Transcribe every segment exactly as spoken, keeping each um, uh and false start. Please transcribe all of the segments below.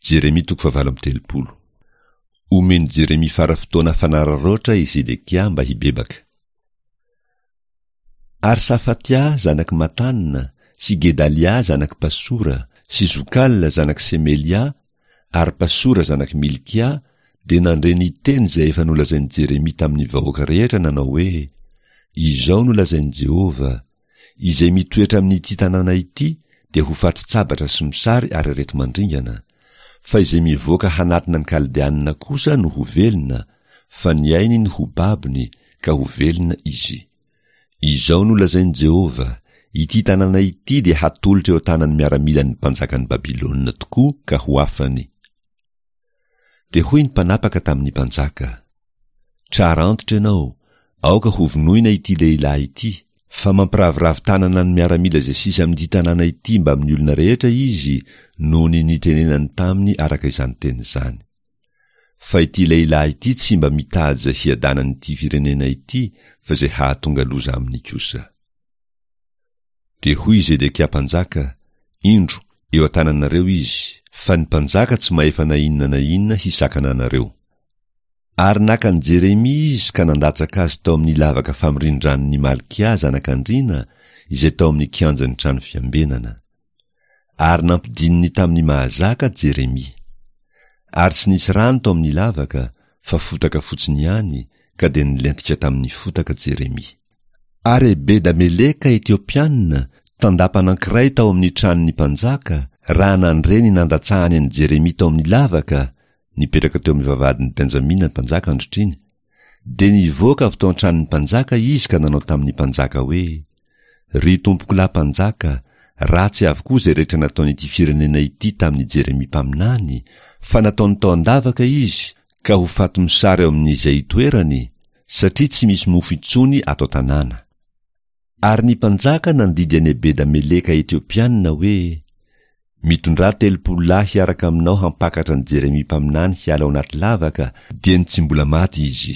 Jeremia toko fahavalo amby telopolo. Omen'i Jeremia fara-fotoana fanararaotra i Zedekia mba hibebaka. Ary Safatia zanak'i Matana sy Gedalia zanak'i Pasora sy Jokala zanak'i Semelia ary Pasora zanak'i Milkia dia nandre ny teny izay efa nolazain'i Jeremia tamin'ny vahoaka rehetra nanao hoe, Izao no lazain'i Jehovah, Izay mitoetra amin'ity tanàna ity dia ho fatin-tsabatra sy mosary ary areti-mandringana, fa izay mivoaka hanatona ny Kaldeanina kosa no ho velona, fa ny ainy no ho babony, ka ho velona izy. Izao no lazain'i Jehovah, Ity tanàna ity dia hatolotra eo an-tanan'ny miaramilan'ny mpanjakan'i Babylona tokoa ka ho afany. Dia hoy ny mpanapaka tamin'ny mpanjaka, Trara antitra ianao, aoka hovonoina ity lehilahy ity, fa mampiraviravy tanana ny miaramila izay sisa amin'ity tanàna ity mbamin'ny olona rehetra izy noho ny nitenenany taminy araka izany teny izany. Fa ity lehilahy ity tsy mba mitady izay hiadanan'ity firenena ity fa izay hahatonga loza aminy kosa. Dia hoy i Zedekia mpanjaka, Indro, eo an-tananareo izy, fa ny mpanjaka tsy mahefa na inona na inona hisakana anareo. Ary naka an'i Jeremia izy ka nandatsaka azy tao amin'ny lavaka famorindranon'i Malkia zanak'andriana, izay tao amin'ny kianjan'ny trano fiambenana. Ary nampidininy tamin'ny mahazaka Jeremia. Ary tsy nisy rano tao amin'ny lavaka, fa fotaka fotsiny ihany, ka dia nilentika tamin'ny fotaka Jeremia. Ary Ebeda-Meleka Etiopiana, tandapa anankiray tao amin'ny tranon'ny mpanjaka, raha nandre ny nandatsahany an'i Jeremia tao amin'ny lavaka, nipetraka teo amin'ny vavahadin'i Benjamina ny mpanjaka androtr'iny, dia nivoaka avy tao an-tranon'ny mpanjaka izy ka nanao tamin'ny mpanjaka hoe, Ry tompokolahy mpanjaka, ratsy avokoa izay rehetra nataon'ity firenena ity tamin'i Jeremia mpaminany, fa nataony tao an-davaka izy, ka ho faty mosary ao amin'izay itoerany, satria tsy misy mofo intsony ato an-tanàna. Ary ny mpanjaka nandidy an'i Ebeda-Meleka Etiopiana hoe, Mitondrà telopolo lahy hiaraka aminao hampakatra an'i Jeremia mpaminany hiala ao anaty lavaka, dieny tsy mbola maty izy.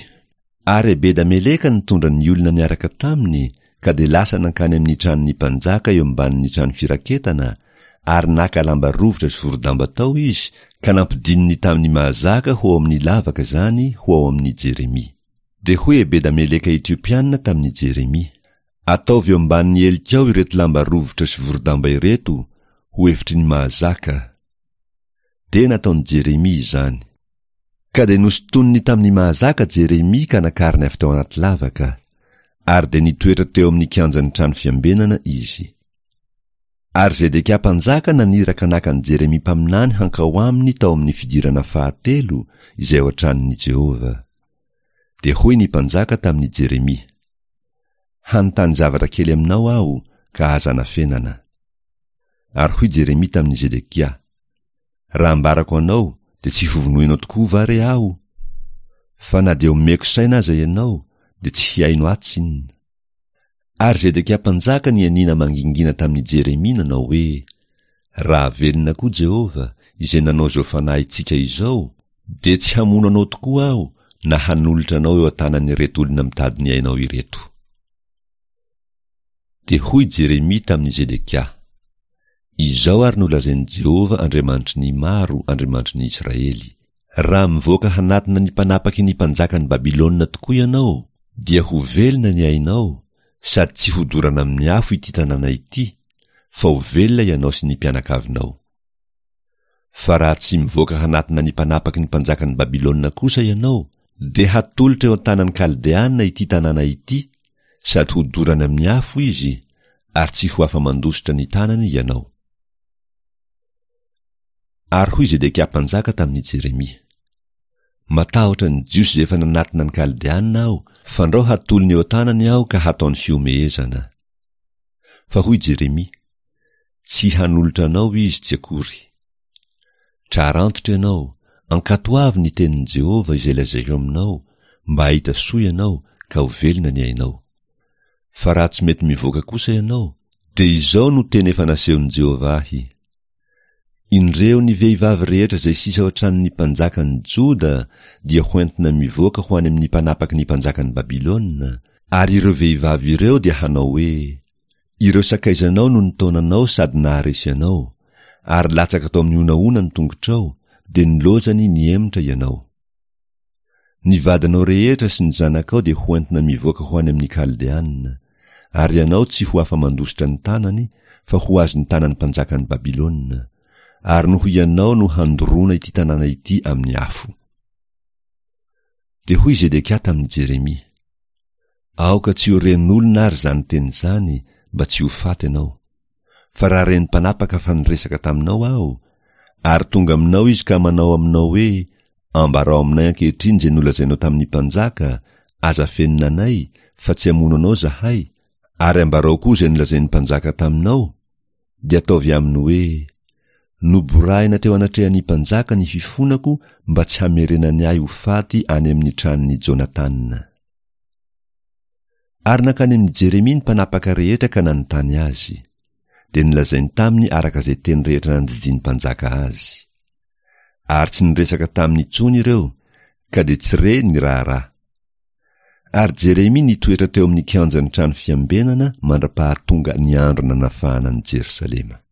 Ary Ebeda-Meleka nitondra ny olona niaraka taminy, ka dia lasa nankany amin'ny tranon'ny mpanjaka eo ambanin'ny trano firaketana, ary naka lamba rovitra sy vorodamba tao izy, ka nampidininy tamin'ny mahazaka ho ao amin'ny lavaka izany ho ao amin'i Jeremia. Dia hoy Ebeda-Meleka Etiopiana tamin'i Jeremia, Ataovy eo ambanin'ny helikao ireto lamba rovitra sy vorodamba ireto, ho efitry ny mahazaka. Dia nataon'i Jeremia izany. Ka dia nosintoniny tamin'ny mahazaka Jeremia ka nakariny avy tao anaty lavaka, ary dia nitoetra teo amin'ny kianjan'ny trano fiambenana izy. Ary Zedekia mpanjaka naniraka naka an'i Jeremia mpaminany hankao aminy tao amin'ny fidirana fahatelo, izay ao an-tranon'i Jehovah. Dia hoy ny mpanjaka tamin'i Jeremia, Hanontany zavatra kely aminao aho, ka aza anafenana. Ary hoy Jeremia tamin'i Zedekia, Raha ambarako anao, dia tsy hovonoinao tokoa va re aho? Fa na dia omeko saina aza ianao, dia tsy hihaino ahy tsinona. Ary Zedekia mpanjaka nianiana mangingina tamin'i Jeremia nanao hoe, Raha velona koa Jehovah, izay nanao izao fanahintsika izao, dia tsy hamono anao tokoa aho na hanolotra anao eo an-tanan'ireto olona mitady ny ainao ireto. Dia hoy Jeremia tamin'i Zedekia, Izao ary no lazain'i Jehovah Andriamanitry ny maro, Andriamanitry ny Israely, Raha mivoaka hanatona ny mpanapaky ny mpanjakan'i Babylona tokoa ianao, dia ho velona ny ainao, sady tsy hodorana amin'ny afo ity tanàna ity, fa ho velona ianao sy ny mpianakavinao. Fa raha tsy mivoaka hanatona ny mpanapaky ny mpanjakan'i Babylona kosa ianao, dia hatolotra eo an-tanan'ny Kaldeana ity tanàna ity, sady hodorany amin'ny afo izy, ary tsy ho afa-mandositra ny tanany ianao. Ary hoy Zedekia mpanjaka tamin'i Jeremia, Matahotra ny Jiosy izay efa nanatona ny Kaldeana aho, fandrao hatolony eo an-tanany aho ka hataony fihomehezana. Fa hoy Jeremia, Tsy hanolotra anao izy tsy akory. Trarantitra ianao, ankatoavy ny tenin'i Jehovah izay lazaiko aminao, mba hahita soa ianao ka ho velona ny ainao. Fa raha tsy mety mivoaka kosa ianao, dia izao no teny efa nasehon'i Jehovah ahy, Indreo ny vehivavy rehetra izay sisa ao an-tranon'ny mpanjakan'i Joda dia hoentina mivoaka ho any amin'ny mpanapaky ny mpanjakan'i Babylona, ary ireo vehivavy ireo dia hanao hoe, Ireo sakaizanao no nitaona anao sady naharesy anao, ary latsaka tao amin'ny honahona ny tongotrao, dia nilaozany nihemotra ianao. Ny vadinao rehetra sy ny zanakao dia hoentina mivoaka ho any amin'ny Kaldeana, ary ianao tsy ho afa-mandositra ny tanany, fa ho azon'ny tanan'ny mpanjakan'i Babylona, ary noho ianao no handoroana ity tanàna ity amin'ny afo. Dia hoy Zedekia tamin'i Jeremia, Aoka tsy ho ren'olona ary izany teny izany, mba tsy ho faty ianao. Fa raha ren'ny mpanapaka fa niresaka taminao aho, ary tonga aminao izy ka manao aminao hoe, Ambarao aminay ankehitriny izay nolazainao tamin'ny mpanjaka, aza afenina anay, fa tsy hamono anao izahay, ary ambarao koa izay nolazain'ny mpanjaka taminao, dia ataovy aminy hoe, Noborahina teo anatrehan'ny mpanjaka ny fifonako mba tsy hamerenany ahy ho faty any amin'ny tranon'i Jonatana. Ary nankany amin'i Jeremia ny mpanapaka rehetra ka nanontany azy. Dia nolazainy taminy araka izay teny rehetra nandidian'ny mpanjaka azy. Ary tsy niresaka taminy intsony ireo, ka dia tsy re ny raharaha. Ary Jeremia nitoetra teo amin'ny kianjan'ny trano fiambenana mandra-pahatonga ny andro nanafahana an'i Jerosalema.